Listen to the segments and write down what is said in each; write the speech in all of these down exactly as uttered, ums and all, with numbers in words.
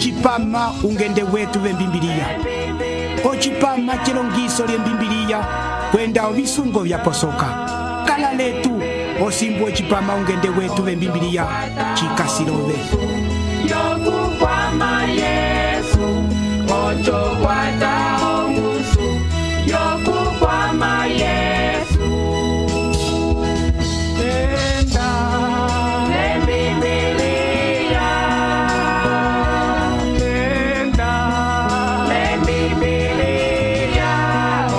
ocipama ungende wetu vembimbiliya, ocipama celongiso lyembimbiliya kwenda ovisungo vyaposoka. Kala letu osimbu ocipama ungende wetu vembimbiliya cikasilove yokukwama Yesu ocho kwata ongusu yokukwama Yesu tenda lembibiliya tenda lembibiliya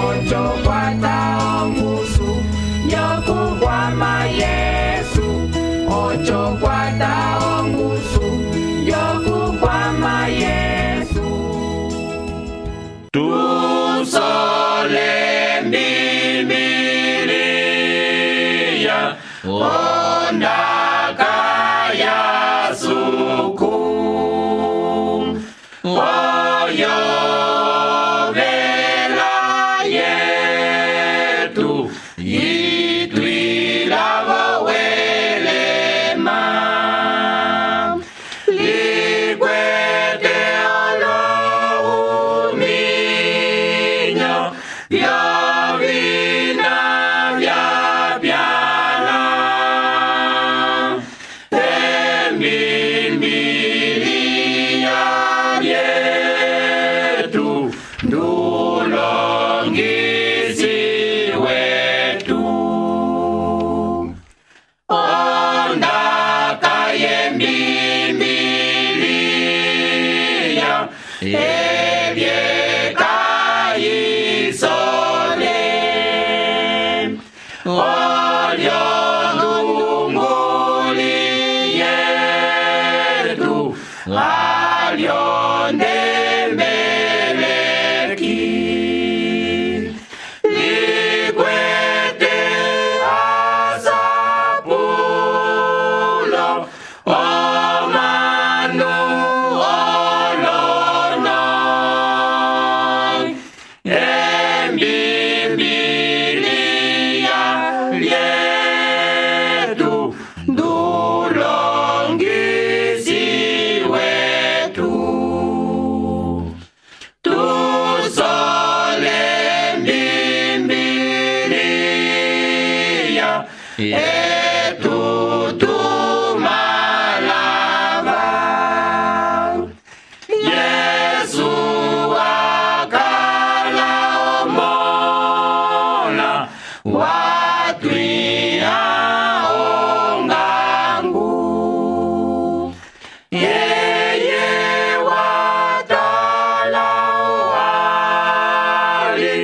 ocho kwata ongusu yokukwama Yesu ocho kwata ongusu yokukwama Yesu tusole mbimbiliya ondaka ya suku oyo vela yetu itwilavo welema likwete olohuminyo vyovina vyapyana embimbiliya lyetu ndulongisi wetu ondaka yembimbiliya ebyekayisole olyo ndunguli yetu alyo ndembeleki likwete asapulo omanu olono embimbiliya lyetu ndulongisi wetu tusole mbimbiliya etutumalava Yesu akala omola watwia ongangu yeye watala wali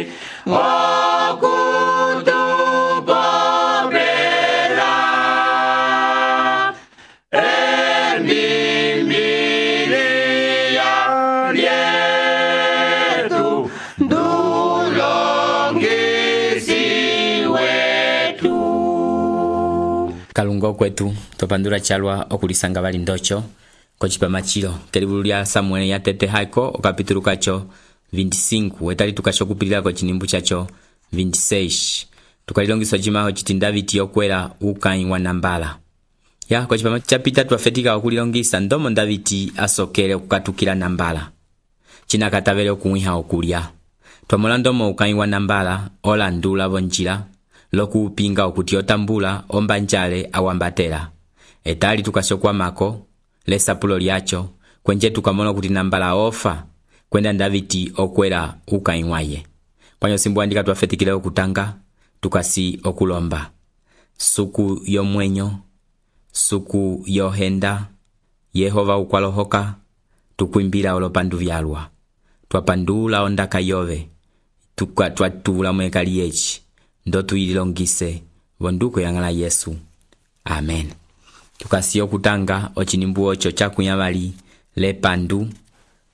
okutupopela embimbiliya lyetu ndulongisi wetu. Kalungo kwetu topandula chalwa okulisanga bali ndocho kochipama chilo kelibulu lya Samuel ya tete haiko okapitulu kacho veinticinco wetali tukasho kupilila ko chinimbu chacho veintiseis tukalilongiso chimaho chiti Davidi yokwela ukai wa nambala ya kochipama chapita twafetika okulilongisa ndomo Davidi asokele okukatukila nambala china katabele okuwiha okulya twamolando mo ukai wa nambala olandula bonjila lokupinga okuti otambula ombanjale awambatela etali tukashokwa mako lesapulo lyacho kwenje tukamona kuti nambala ofa kwenda Davidi okwela ukaimwaye kwanyo simbu andika twafetikile okutanga tukasi okulomba suku yomwenyo suku yohenda Yehova ukwalohoka tukwimbila olopandu vyalwa twapandula ondaka yove tukwa twatula mwekali yechi ndo tuyilongise vonduko yangala Yesu amen tukasi okutanga ochinimbu ocho chakunyabali le pandu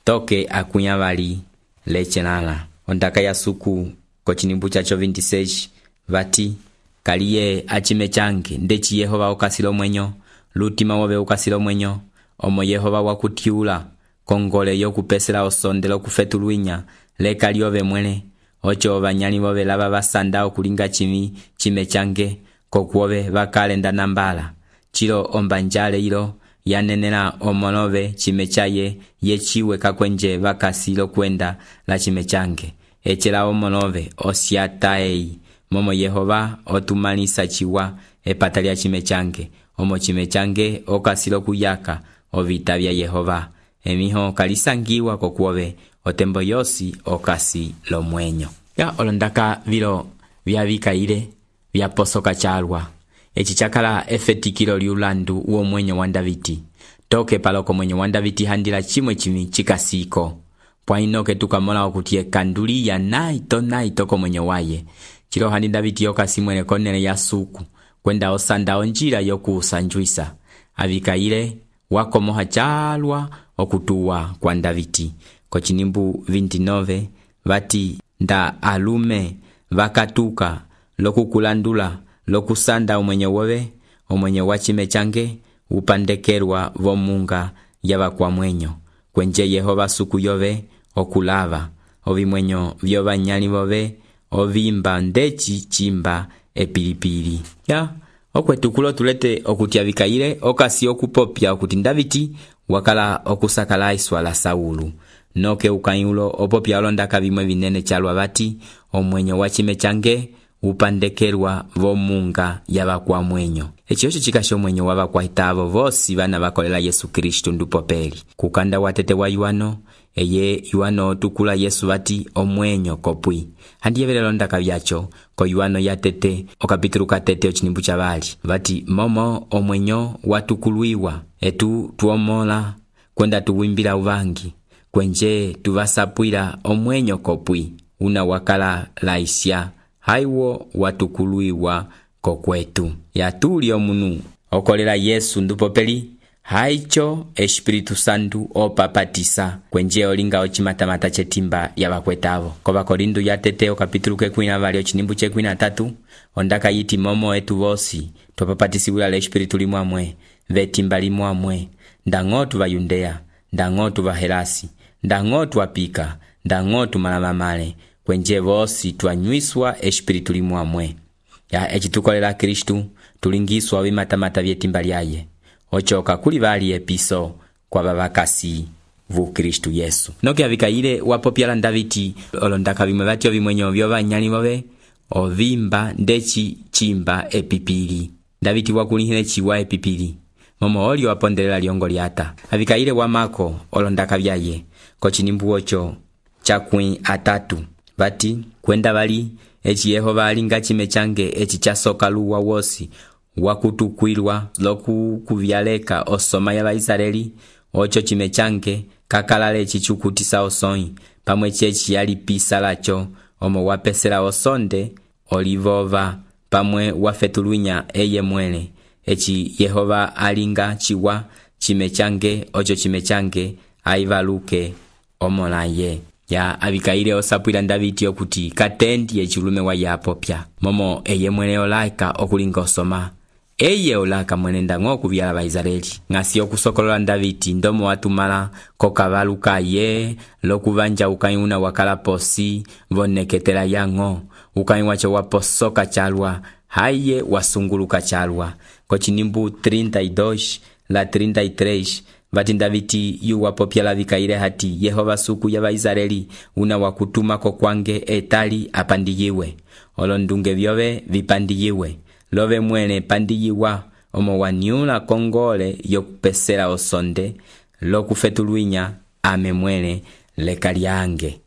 toke akunyabali le chenala ondaka ya suku kochinimbu chacho veintiseis vati kaliye achime change ndechi Yehova okasilo mwenyo lutima wobe okasilo mwenyo omo Yehova wakutiula kongole yokupesela osondelo kufetuluinya le kaliove mwene ocho banyali bobe laba basanda okulinga chimi chime change kokuobe bakalenda nambala chilo ombanjale ilo yanenela omolove chime chaye yechiwe kakwenje vakasi lokwenda la chime change. Echela omolove osiataei momo Yehova otumalisa chiwa epata lya chime change. Omo chime change okasi lokuyaka ovita vya Yehova. Emiho kalisangiwa kokuove otembo yosi okasi lomwenyo. Ya olondaka vilo vya vikaile vya posoka chalwa. Echi chakala efetikilo liulandu uo mwenyo wa Davidi. Toke paloko mwenyo wa Davidi handila chimwe chimi chikasiko. Pwa inoke tukamola okutie kanduli ya naito naito ko mwenyo waye. Chilo handi Davidi yokasi mwene konele ya suku. Kwenda osanda onjira yoku usanjuisa. Avikaile wako moha chalwa okutuwa kwa Davidi. Kochinimbu vintinove vati nda alume vakatuka lokukulandula lokusanda omwenyo wowe omwenyo wachime change upandekerwa vomunga yava kwa mwenyo. Kwenje Yehova suku yove okulava ovimwenyo vyova nyali vove ovimba ndechi chimba epilipili. Ya okwetukulo tulete okutia vikaile okasi okupopya okuti Davidi wakala okusakala iswa la Saulu. Noke ukayulo opopya olondaka vimwe vinene chalwa vati omwenyo wachime change upandekerwa vomunga yava kwa mwenyo. Echi yoshi chikasho mwenyo wava kwa hitavo vosi vana vakolela Yesu Kristu ndupopeli. Kukanda watete wa Yuano, eye Yuano tukula Yesu vati omwenyo kopwi. Handi yevelelo ndaka vyacho, ko Yuano yatete, okapitulu katete ochinimbu chavali. Vati momo omwenyo watukuluiwa, etu tuomola, kwenda tuwimbila uvangi. Kwenje tuvasapwila omwenyo kopwi, una wakala laisya. Haiwo watukuluiwa kokwetu. Ya tuli omunu okolela Yesu ndupopeli. Haicho Espiritu Santu opapatisa. Kwenje olinga ochimatamata chetimba yavakwetavo. Kova Korindu yatete okapitulu kekwina vali ochinimbu chekwina tatu. Ondaka yiti momo etu vosi. Topapatisiwila le Espiritu limwamwe. Vetimba limwamwe. Ndangotu va Yudea. Ndangotu va Helasi. Ndangotu apika. Ndangotu malamamale. Kwenje vosi tuanywiswa Espiritu limwamwe. Ya echitukolela Kristu tulingiswa vimatamata vyetimba lyaye. Ochoka kuli vali episo kwa vavakasi vu Kristu Yesu. Noke avikaile wapopyala Davidi olondaka vimwe vatyo vimwenyo vyova nyali vove ovimba ndechi chimba epipili. Davidi wakulihile chiwa epipili. Momo oli wapondelela liongo liata. Avikaile wamako olondaka vyaye. Kochinimbu ocho chakwi atatu. Vati kwenda vali echi Yehova alinga chime change echi chasoka luwa wosi wakutukwilwa loku kuvyaleka osoma ya Israeli. Ocho chime change kakalale chichukutisa osoi pamwe chechi yali pisa lacho omo wapesela osonde olivova pamwe wafetulunya eye mwele. Echi Yehova alinga chiwa chime change ocho chime change aivaluke omolaye. Ya avikaile osapwila Davidi okuti katendi echulume wa yapopya. Momo eye mwene olaika okulinga osoma. Eye olaka mwene ndango kuvyala ba Israeli. Ngasi okusokolola Davidi ndomo watumala kokavaluka ye lokuvanja ukayuna wakala posi voneketela yango. Ukayi wacho waposoka chalwa haye wasunguluka chalwa. Kochinimbu treinta y dos la treinta y tres vati Davidi yu wapopya la vikaile hati Yehova suku ya Israeli una wakutuma kokwange etali apandiyiwe. Olondunge vyove vipandiyiwe. Love mwene pandiyiwa omo wanyula kongole yokupesela osonde lokufetuluinya ame mwene lekalyange.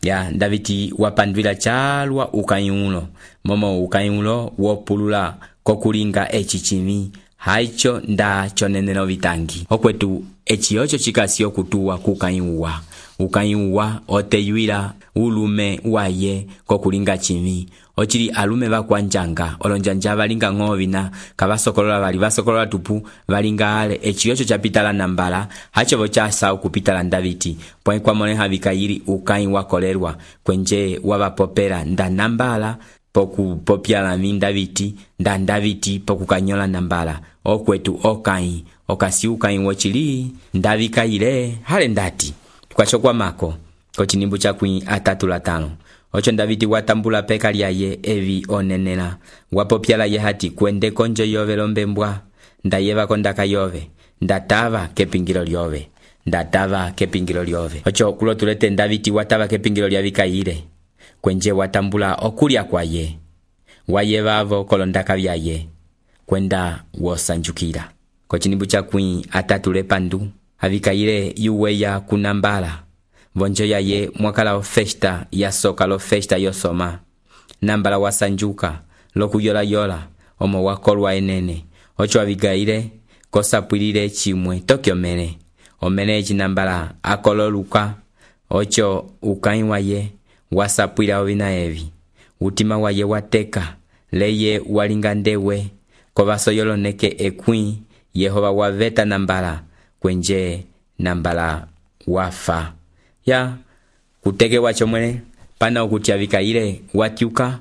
Ya Davidi wapandwila chalwa ukayulo. Momo ukayulo wopulula kokulinga echichimi. Haicho nda chonenelo vitangi. Okwetu echi ocho chikasi okutuwa kukayuwa. Ukayuwa oteyuila ulume waye kokulinga chimi. Ochili alume vakwanjanga olonjanja valinga ngovina kavasokolola vali vasokolola tupu valinga ale echi ocho chapitala nambala hacho vocha sao kupitala Davidi. Pwa kwa mone havikaili ukayi wakolerwa kwenje wavapopera nda nambala poku popyala min Davidi nda Davidi poku kanyola nambala. Okwetu okayi okasi ukayi wochili ndavikaile hale ndati tukachokwa mako kochinimbu chakwi atatu latano. Ocho Davidi watambula peka lyaye evi onenela wapopyala ye hati kwende konjo yove lombembwa ndayeva kondaka yove ndatava kepingilo lyove ndatava kepingilo lyove ocho kulo tulete Davidi watava kepingilo lya Abikaile kwenje watambula okulya kwaye waye vavo kolondaka vyaye kwenda wosanjukira kochinimbu cha kwi atatule pandu Abikaile yuweya kunambala vonjo yaye mwakala festa ya soka lo festa yosoma nambala wasanjuka lokuyola yola omo wakolwa enene ocho Abikaile kosapwilile chimwe tokyo mene omene chinambala akololuka ocho ukai waye wasapwila ovina evi utima waye wateka leye walinga ndewe kovaso yoloneke ekwi Yehova waveta nambala kwenje nambala wafa ya kuteke wacho mwene pana okuti Abikaile watyuka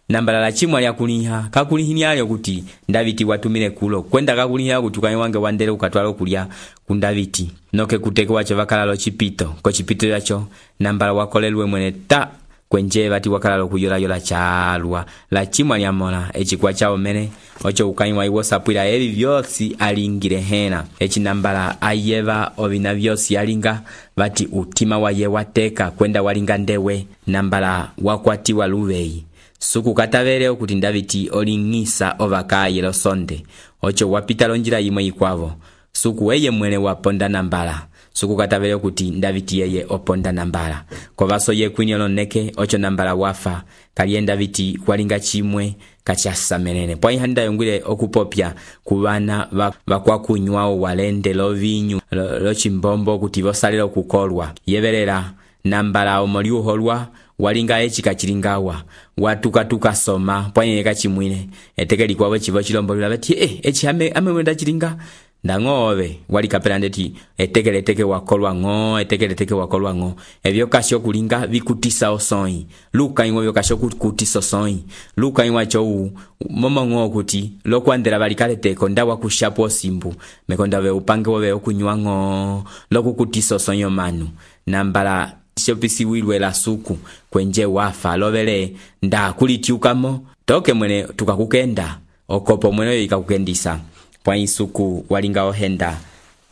nambala la chimwa lya kuliha kakulihinyalyo kuti Davidi watumile kulo kwenda kakuliha kuti ukai wange wandele ukatwala okulya ku Davidi noke kuteke wacho vakalalo chipito ko chipito yacho nambala wakolelwe mwene ta kwenje vati wakalalo kuyola yola chalwa la chimwa lya mola echikwa chao mene ocho ukai wa iwosapwila evi vyosi alingile hena echi nambala ayeva ovina vyosi alinga vati utima waye wateka kwenda walinga ndewe nambala wakwatiwa luvei suku katavele okuti Davidi olingisa ovakaye lo sonde ocho wapita lonjila yimwe ikwavo suku eye mwene waponda nambala suku katavele okuti Davidi yeye oponda nambala kovaso ye kwinyo loneke ocho nambala wafa kaliye Davidi walinga chimwe kachasamelene pwa ihanda yongwile okupopya kubana vakwakunywao walende lo vinyu lo, lo chimbombo kuti vosalila okukolwa yevelela nambala omoliuholwa walinga echi kachilingawa watuka tuka soma pwanye kachimwine etekeli kwawe chivo chilombo bati eh echi ame ame wenda chilinga ndangove wali kapela ndeti etekele teke wakolwa ngo etekele teke wakolwa ngo evyo kasho kulinga vikutisa osoi luka inwo vyo kasho kutisa osoi luka inwa cho momo ngo kuti lokwandela balikale teko ndawa kushapo simbu mekonda ve upange wo ve okunywa ngo lokukutisa osoi manu nambala shopisi wilwe la suku kwenje wafa lovele nda kulitiukamo toke mwene tukakukenda okopo mwene ikakukendisa pwa isuku walinga ohenda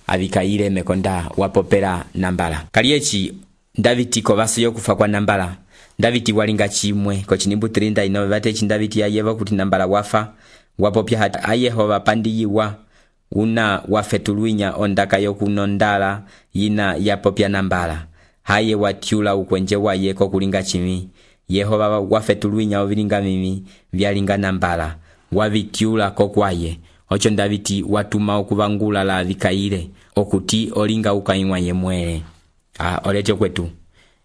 Abikaile mekonda wapopera nambala kaliechi Davidi kovaso yokufa kwa nambala Davidi walinga chimwe ko chinimbu trinda ino vate chi Davidi yayeva kuti nambala wafa wapopya hata ayehova pandiyiwa una wafetuluinya ondaka yokunondala yina yapopya nambala haye watyula ukwenje waye ko kulinga chimi Yehova wafetuluinya ovilinga mimi vyalinga nambala wavityula ko kwaye ocho Davidi watuma okuvangula la Abikaile okuti olinga ukaimwa yemwele ah olecho kwetu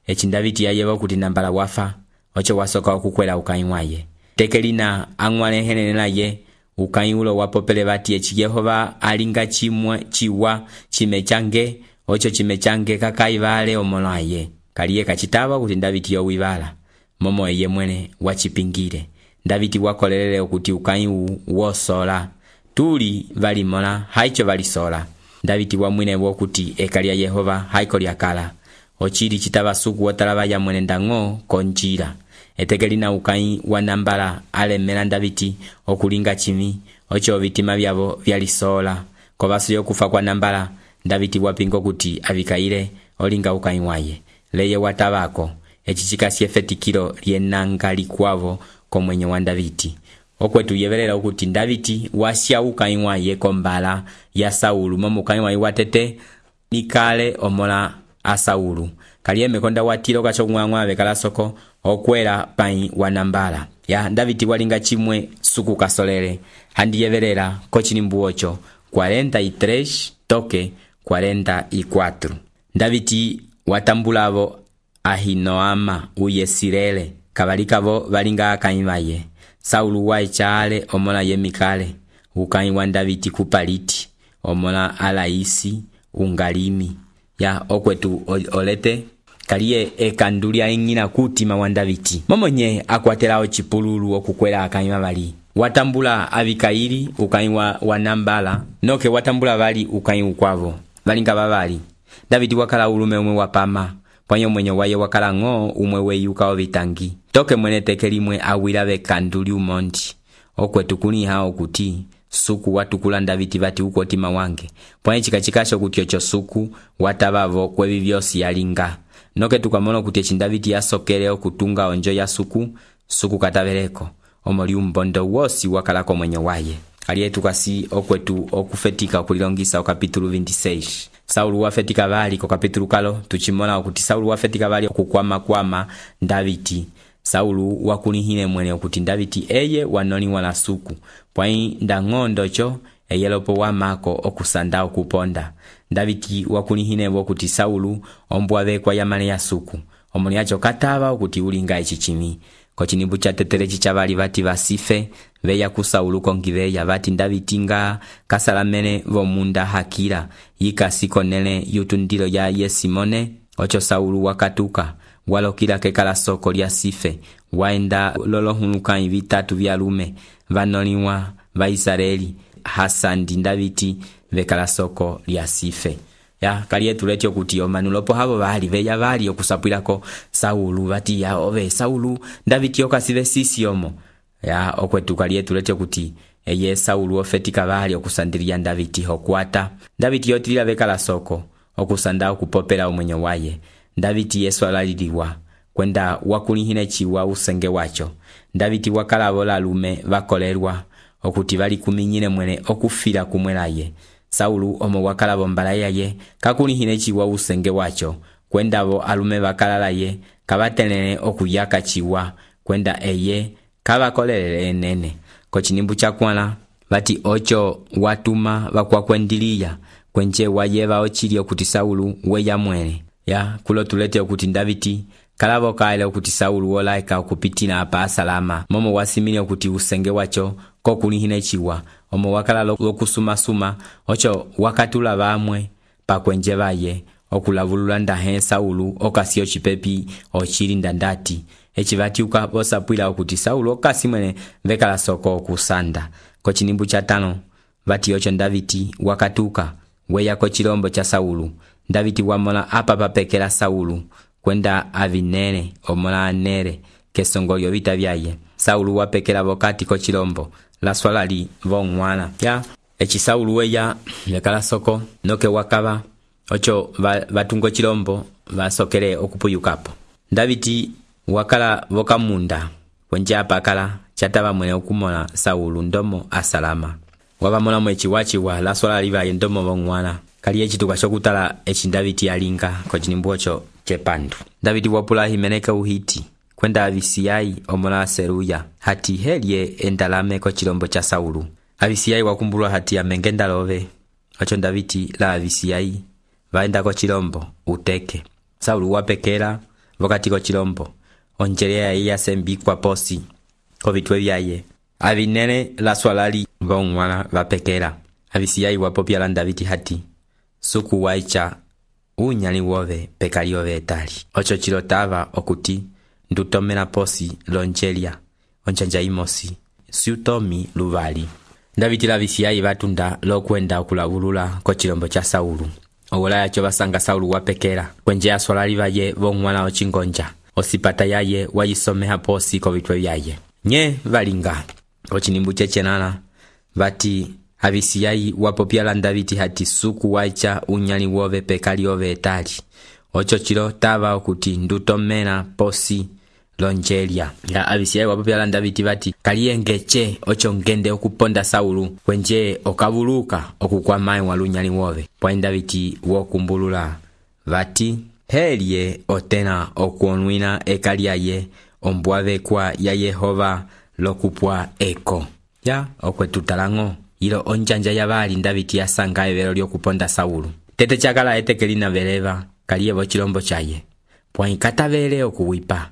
echi Davidi yayeva kuti nambala wafa ocho wasoka okukwela ukaimwa ye tekelina angwale henenela ye ukaiulo wapopele vati echi Yehova alinga chimwe chiwa chimechange ocho chimechange kakaivale omolaye kaliye kachitaba kuti Davidi yowivala momo ye mwene wachipingire Davidi wakolelele okuti ukaiu wosola tuli valimola haicho valisola Davidi wamwine wokuti ekalia Yehova haiko lyakala ochiri chitaba suku wotalaba ya mwene ndango konjira etekelina ukai wa nambala alemela Davidi okulinga chimi ocho vitima vyavo vyalisola kovaso yokufa kwa nambala Davidi wapingo kuti Abikaile olinga ukai waye leye watabako echichika siefetikilo lienanga likwavo komwenye wa Davidi okwetu yevelela ukuthi Davidi wasya ukai waye kombala ya Saulu momo ukai waye watete nikale omola a Saulu kaliye mekonda watilo kacho mwangwa bekala soko okwela pai wa nambala ya Davidi walinga chimwe suku kasolele handi yevelela ko chinimbu ocho cuarenta y tres toke cuarenta y cuatro Davidi watambulavo Ahinoama uyesirele kabalikavo balinga akaimaye Saulu waichale omola yemikale ukai wa Davidi kupaliti omola alaisi ungalimi ya okwetu olete kaliye ekandulia ingina kutima wa Davidi momonye akwatelao chipululu okukwela akaima bali watambula Abikaili ukai wa, wa nambala noke watambula bali ukai ukwavo balinga babali Davidi wakala ulume umwe wapama pwanyo mwenye waye wakala ngo umwe weyuka ovitangi toke mwene tekelimwe awila bekanduli umondi okwetu kuni hao kuti suku watukula Davidi vati uko tima wange pwae chikachikasho kuti ocho suku watavavo kwevi vyosi yalinga noke tukamona kuti echi Davidi yasokele okutunga onjo ya suku suku katavereko omoli umbondo wosi wakalako mwenye waye aliye tukasi okwetu okufetika okulilongisa okapitulu veintiseis Saulu wafetika vali ko kapitulu kalo tuchimona okuti Saulu wafetika vali okukwama kwama Davidi Saulu wakulihine mwene okuti Davidi eye wanoni wana suku pwai ndangondo cho eyelopo wamako okusanda okuponda Davidi wakulihine okuti Saulu ombwave kwa yamane ya suku omoni acho katava okuti ulinga echichimi ko chinimbu cha tetere chichavali vati vasife veya ku Saulu kongiveya vati Davidi nga kasalamene vomunda hakira yikasiko nene yutundilo ya Yesimone ocho Saulu wakatuka walokila kekala soko lya sife waenda lolohuluka vitatu vya lume vanoliwa va Israeli hasandi Davidi vekala soko lya sife ya kaliye tuletyo kuti omanulopo havo vali veya vali okusapwilako Saulu vati ya ove Saulu Davidi okasive sisi omo ya okwetu kaliye tuletyo kuti eye Saulu ofetika vali okusandilia Davidi hokwata Davidi yotilila vekala soko okusanda okupopela omwenye waye Davidi yesu alaliliwa kwenda wakulihine chiwa usenge wacho Davidi wakala vola lume vakolerwa okuti vali kuminyine mwene okufira kumwelaye Saulu omo wakala bombala yaye kakulihine chiwa usenge wacho kwenda vo alume vakalalaye kavatenene okuyaka chiwa kwenda eye kavakolelele nene ko chinimbu chakwana vati ocho watuma vakwakwendiliya kwenje wayeva ochili okuti Saulu weya mwene ya kulo tulete okuti Davidi kalavo kaile okuti Saulu wolaika okupitila apa asalama momo wasimile okuti usenge wacho kokulihine chiwa omo wakala lokusuma suma ocho wakatula vamwe pakwenje vaye okulavulula ndahe Saulu okasiyo chipepi ochilinda ndati echi vati ukabosapwila okuti Saulu okasi mwene vekala soko okusanda ko chinimbu cha tano vati ocho Davidi wakatuka weya ko chilombo cha Saulu Davidi wamona apa papekela Saulu kwenda avinene omola anere kesongolyo vita vyaye Saulu wapekela vokati ko chilombo la swalali vongwana ya echi Saulu weya vekala soko noke wakava ocho vatungo chilombo vasokele okupuyukapo Davidi wakala vokamunda kwenje apa kala chatava mwene okumona Saulu ndomo asalama wavamona mwechi wachiwa la swalali vaye ndomo vongwana kali echi tukashokutala echi Davidi yalinga ko chinimbu ocho chepandu Davidi wapula himeneka uhiti kwenda Avisiyai omola Seruya hati helye endalame ko chilombo cha Saulu Avisiyai wakumbulwa hati ya mengenda love ocho Davidi la Avisiyai vaenda ko chilombo uteke Saulu wapekela vokati ko chilombo onjelea iya sembi kwa posi ko vitwe vyaye avinene la swalali vongwana vapekela Avisiyai wapopya la Davidi hati suku waicha unyali wove pekali ove etali ocho chilotava okuti ndutomela posi lonjelia onjanja imosi siutomi luvali Davidi la Avisiyai vatunda lokwenda okulavulula ko chilombo cha Saulu owola yacho basanga Saulu wapekela kwenje aswalali vaye vongwana ochingonja osipata yaye wayisomeha posi ko vitwe vyaye nye valinga ko chinimbu chechenana vati Avisiyai wapopya la Davidi hati suku waicha unyali wove pekali ove etali ocho chilo tava okuti ndutomela posi lonjelia ya Avisiyai wapopya la Davidi vati kaliyengeche ocho ngende okuponda Saulu kwenje okavuluka okukwamae walunyali wove pwa Davidi wokumbulula vati helye otena okuonwina ekaliaye ombwave kwa ya Yehova lokupwa eko ya okwetutalango ilo onjanja ya vali Davidi yasanga evelo lyokuponda Saulu tete chakala etekelina veleva kaliye vo chilombo chaye pwa ikatavele okuwipa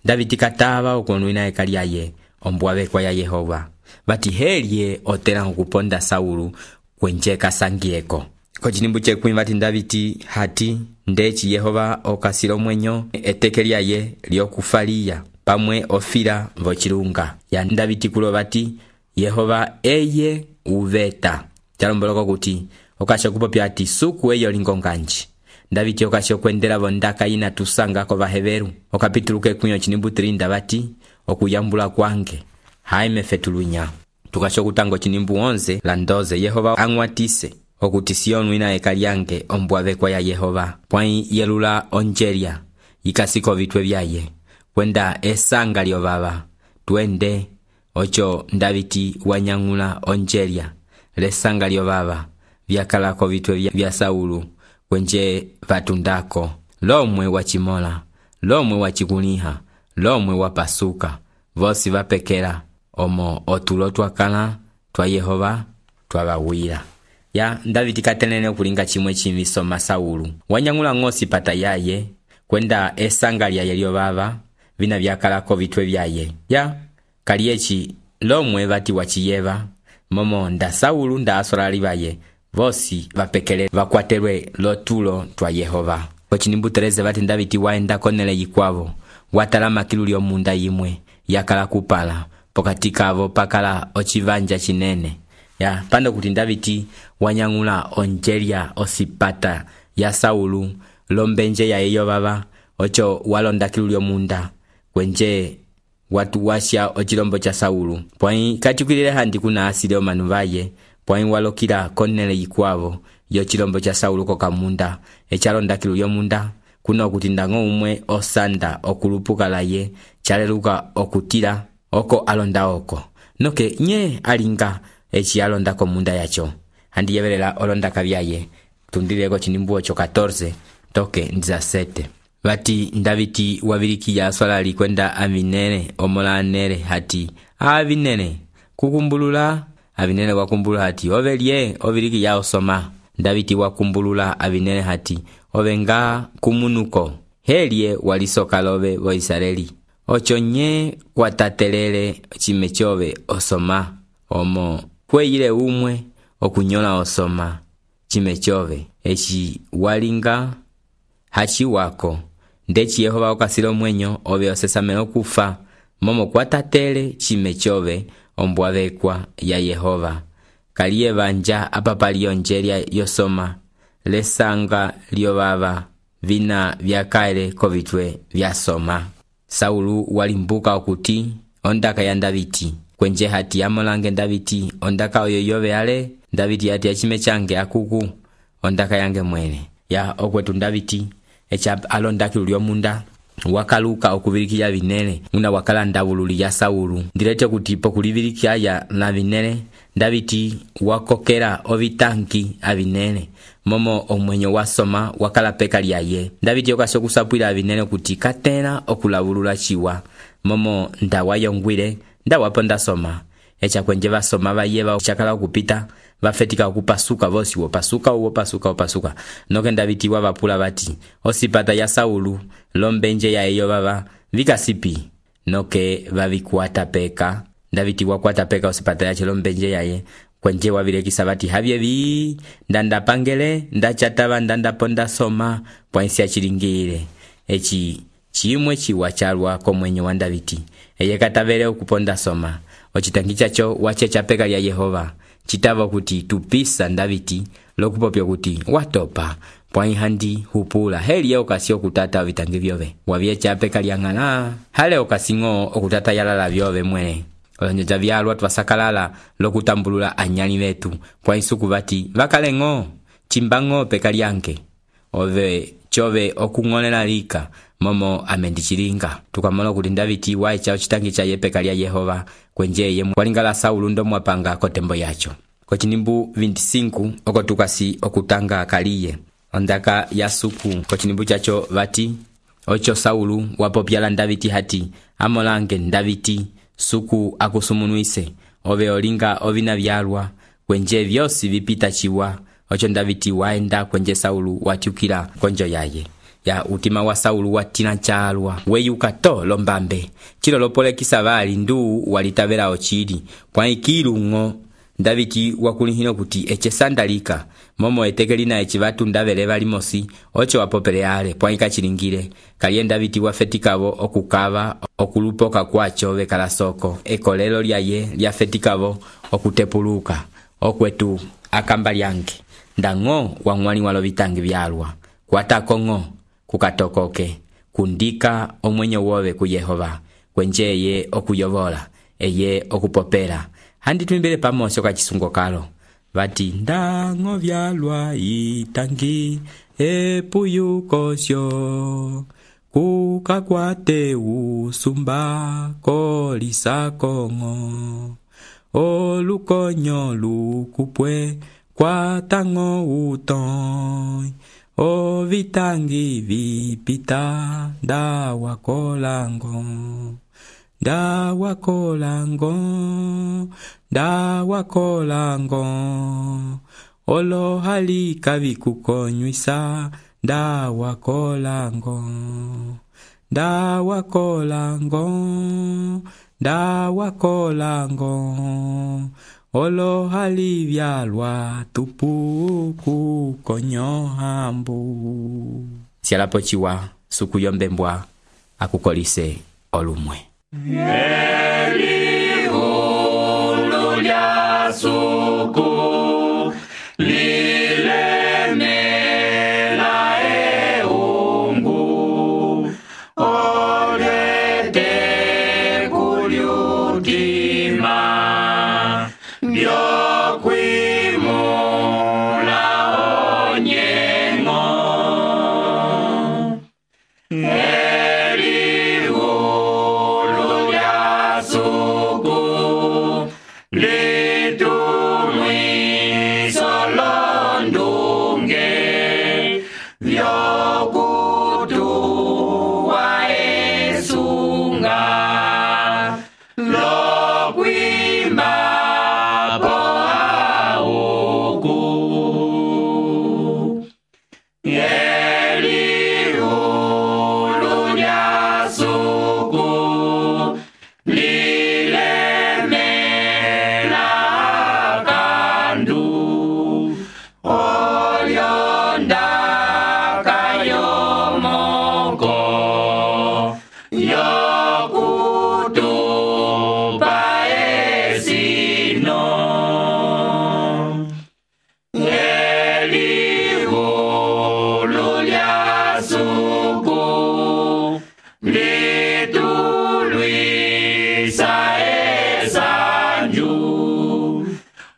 Davidi katava okuonwina ekaliaye ombwave kwa ya Yehova vati helye otena okuponda Saulu kwenje kasangieko ko chinimbu chekumi vati Davidi hati ndechi Yehova okasilo mwenyo etekeliaye lyokufalia pamwe ofira vo chilunga ya Davidi kulo vati Yehova eye uveta chalomboloko kuti okasho kupopya ati suku eyo lingonganji Davidi okasho kwendela vondaka ina tusanga ko vaheveru okapituluke kunyo chinimbu tirinda vati okuyambula kwange haime fetulunya tukasho kutango chinimbu onze la ndoze Yehova ang'watise okuti Sionu ina eka lyange ombwavekwa ya Yehova pwai yelula onjeria yikasiko vitwe vyaye kwenda esanga lyo baba twende ocho Davidi wanyang'ula onjeria lesanga lyo baba vyakalako vitwe vya Saulu kwenje vatundako lomwe wachimola lomwe wachikuliha lomwe wapasuka vosi vapekela omo otulo twakala twa Yehova twabawira ya Davidi katelene okulinga chimwe chimisoma Saulu wanyang'ula ng'osi pata yaye kwenda esanga lya lyo baba vina vyakalako vitwe vyaye ya kaliechi lomwe vati wachiyeva momo nda Saulu nda asolali baye vosi vapekele vakwatelwe lotulo twa Yehova kochinimbu tereze vati Davidi waenda konele yikwavo watala makilu lyo munda yimwe yakala kupala pokatika avo pakala ochivanja chinene ya pando kuti Davidi wanyang'ula onjeria osipata ya Saulu lombenje ya eyo baba ocho walonda kilu lyo munda kwenje watu washa ochilombo cha Saulu pwai katikwilile handi kuna asile omanu vaye pwai walokila konele yikwavo yo chilombo cha Saulu koka munda echalonda kilu lyo munda kuna okuti ndango umwe osanda okulupuka laye chaleluka okutila oko alonda oko noke nye alinga echi alonda ko munda yacho handi yevelela olonda kabyaye tundileko chinimbu ocho catorce toke ndiza sete vati Davidi wavilikiya swalali kwenda Avinere omolanere hati Avinere kukumbulula Avinere wakumbulula hati ovelie ovilikiya osoma Davidi wakumbulula Avinere hati ovenga kumunuko helie walisoka lobe vo Israeli ocho nye kwatatelele chime chove osoma omo kweyile umwe okunyola osoma chime chove echi walinga hachi wako ndechi Yehova okasilo mwenyo ove osesamelo kufa momo kwatatele chime chove ombwavekwa ya Yehova kaliye banja apapali onjeria yosoma lesanga lyo baba vina vyakaele kovitwe vyasoma Saulu walimbuka okuti ondaka ya Davidi kwenje hati amolange Davidi ondaka oyo yove ale Davidi hati achime change akuku ondaka yange mwene ya okwetu Davidi echa alondaki lyo munda wakaluka okubilikiya Vinere una wakala ndabululi ya Saulu ndilete kuti pokulibilikiya ya na Vinere Davidi wakokera ovitanki Avinere momo omwenyo wasoma wakala peka lyaye Davidi okasokusapwila Avinere kuti katena okulabulula chiwa momo ndawayongwile ndawaponda soma echa kwenje basoma bayeba chakala okupita bafetika okupasuka vosi wopasuka wopasuka wopasuka noke Davidi wabapula bati osipata ya Saulu lombenje ya eyo baba vikasipi noke babikwata peka Davidi wakwata peka osipata ya lombenje yaye kwenje wabilekisa bati habyebi ndanda pangele ndachataba ndanda ponda soma pwansi ya chilingire echi chimwe chiwa chalwa komwenyo wa Davidi eye katavele okuponda soma ochitangicha cho wache chapeka lya Yehova chitava kuti tupisa Davidi lokupopyo kuti watopa pwai handi hupula heli ya okasi okutata vitangi vyove wavye chapeka lya ngala hale okasingo okutata yalala vyove mwene olonjoja vyalwa twasakalala lokutambulula anyani vetu pwai suku bati vakalengo chimbango peka lyanke ove chove okung'olela lika momo amendichilinga tukamala kuti Davidi waicha ochitangi cha yepeka lya Yehova kwenje ye walingala Saulu ndo mwapanga kotembo yacho kochinimbu veinticinco oko tukasi okutanga kaliye ondaka ya suku kochinimbu chacho vati ocho Saulu wapopyala Davidi hati amolange Davidi suku akusumunuise ove olinga ovina vyalwa kwenje vyosi vipita chiwa ocho Davidi waenda kwenje Saulu watyukila konjo yaye ya utima wa Saulu watina chalwa weyuka to lombambe chilo lopolekisa bali ndu walitavela ochili kwa ikilungo Davidi wakulihino kuti eche sandalika momo etekelina echi batu ndavele bali mosi ocho wapopeleale kwa ikachilingire kalye Davidi wafetikavo okukava okulupoka kwacho bekala soko ekolelo lyaye lyafetikavo okutepuluka okwetu akamba lyange ndango wangwani walo bitangi byalwa kwatakongo kukatokoke kundika omwenyo wowe ku Yehova kwenjeye okuyobola eye okupopela handi twimbele pamoso kachisungo kalo vati ndango vyalwa itangi epuyukosyo kukakwate usumba kolisakongo olukonyo lukupwe kwatango utoy ovitangi vipita ndawakolango ndawakolango ndawakolango olohalika vikukonywisa ndawakolango ndawakolango ndawakolango olohali vyalwa tupuku konyohambu sialapochiwa suku yombembwa akukolise olumwe Elihulu lya suku lilemela eungu olete kulyutima byokwimula onyengo Elihulu lya suku litumwiso londunge vyokutuwa esunga lokwima po auku Elihulu lya suku lilemela kandu olyondaka yomoko yokutupa esino Elihulu lya suku litulwisa esanju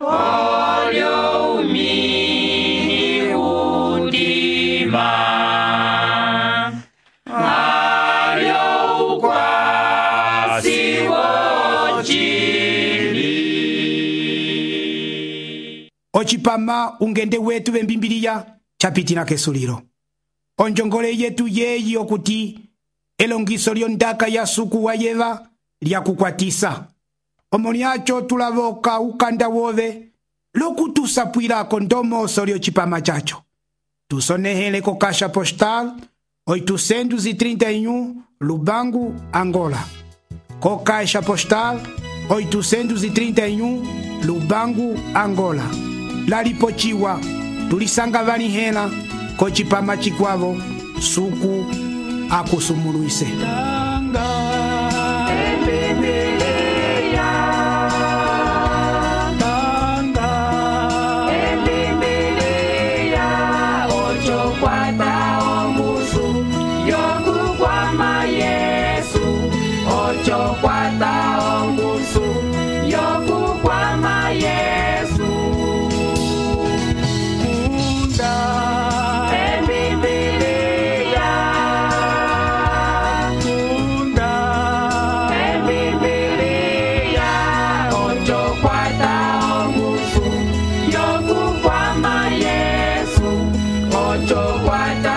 olyo umini udima alyo ukwasi wochili ocipama ungende wetu vembimbiliya chapitina kesulilo onjongole yetu yeyi okuti elongiso lyondaka ya suku wa yeva lyakukwatisa omo lyacho tulavoka ukanda wove lokutusapwilako ndomoso lyocipama chacho tusonehele ko kasha postal oitocentos e trinta e um Lubango, Angola. Co caixa postal oitocentos e trinta e um Lubango, Angola. Laripochiwa tulisanga vanihena ko chipama chikwavo suku akusumuluise. Ocho, cuatro.